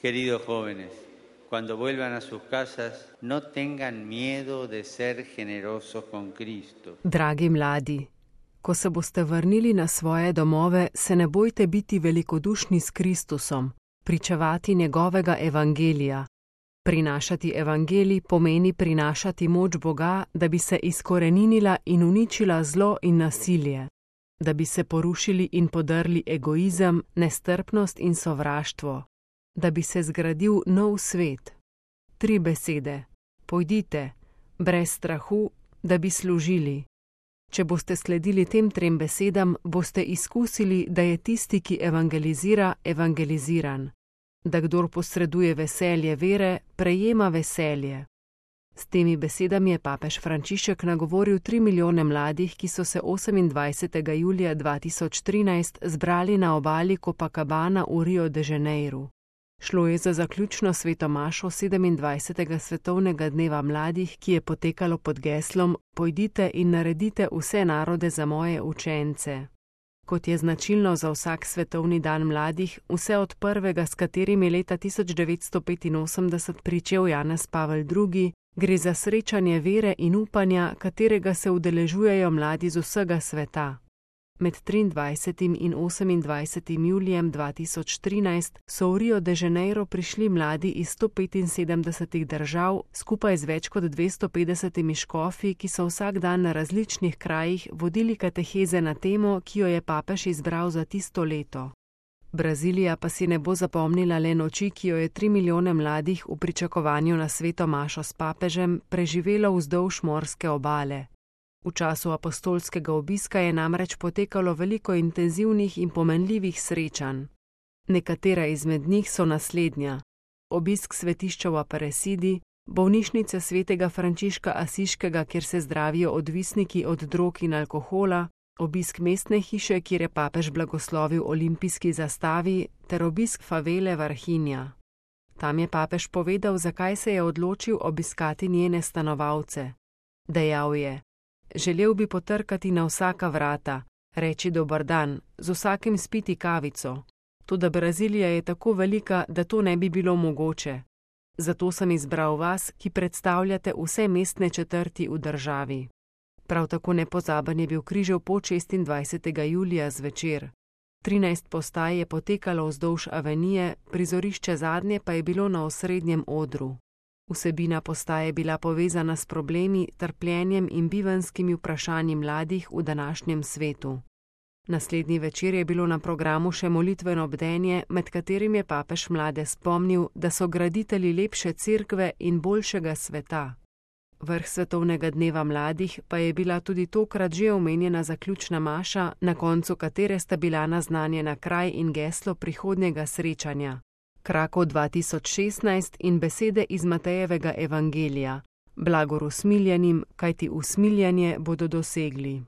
Queridos jóvenes, cuando vuelvan a sus casas, no tengan miedo de ser generosos con Cristo. Dragi mladi, ko se boste vrnili na svoje domove, se ne bojte biti velikodušni s Kristusom, pričevati njegovega evangelija. Prinašati evangelij pomeni prinašati moč Boga, da bi se izkoreninila in uničila zlo in nasilje, da bi se porušili in podrli egoizem, nestrpnost in sovraštvo, da bi se zgradil nov svet. 3 besede: pojdite, brez strahu, da bi služili. Če boste sledili tem 3 besedam, boste izkusili, da je tisti, ki evangelizira, evangeliziran, da kdor posreduje veselje vere, prejema veselje. S temi besedami je papež Frančišek nagovoril 3 milijone mladih, ki so se 28. julija 2013 zbrali na obali Copacabana v Rio de Janeiro. Šlo je za zaključno sveto mašo 27. svetovnega dneva mladih, ki je potekalo pod geslom Pojdite in naredite vse narode za moje učence. Kot je značilno za vsak svetovni dan mladih, vse od prvega, s katerim je leta 1985 pričel Janez Pavel II, gre za srečanje vere in upanja, katerega se udeležujejo mladi z vsega sveta. Med 23. in 28. julijem 2013 so v Rio de Janeiro prišli mladi iz 175 držav, skupaj z več kot 250 škofi, ki so vsak dan na različnih krajih vodili kateheze na temo, ki jo je papež izbral za tisto leto. Brazilija pa si ne bo zapomnila le noči, ki jo je 3 milijone mladih v pričakovanju na sveto mašo s papežem preživelo vzdolž morske obale. V času apostolskega obiska je namreč potekalo veliko intenzivnih in pomenljivih srečanj. Nekatera izmed njih so naslednja: obisk svetišča v Aparecidi, bolnišnice svetega Frančiška Asiškega, kjer se zdravijo odvisniki od drog in alkohola, obisk mestne hiše, kjer je papež blagoslovil olimpijski zastavi, ter obisk favele Varhinja. Tam je papež povedal, zakaj se je odločil obiskati njene stanovalce. Dejal je: želel bi potrkati na vsaka vrata, reči dober dan, z vsakim spiti kavico. Toda Brazilija je tako velika, da to ne bi bilo mogoče. Zato sem izbral vas, ki predstavljate vse mestne četrti v državi. Prav tako nepozaben je bil križev pot 26. julija zvečer. 13 postaj je potekalo vzdolž avenije, prizorišče zadnje pa je bilo na osrednjem odru. Vsebina postaje je bila povezana s problemi, trpljenjem in bivanjskimi vprašanji mladih v današnjem svetu. Naslednji večer je bilo na programu še molitveno bdenje, med katerim je papež mlade spomnil, da so graditelji lepše cerkve in boljšega sveta. Vrh svetovnega dneva mladih pa je bila tudi tokrat že omenjena zaključna maša, na koncu katere sta bila naznanjena kraj in geslo prihodnjega srečanja. Krakov 2016 in besede iz Matejevega evangelija: blagor usmiljenim, kajti usmiljanje bodo dosegli.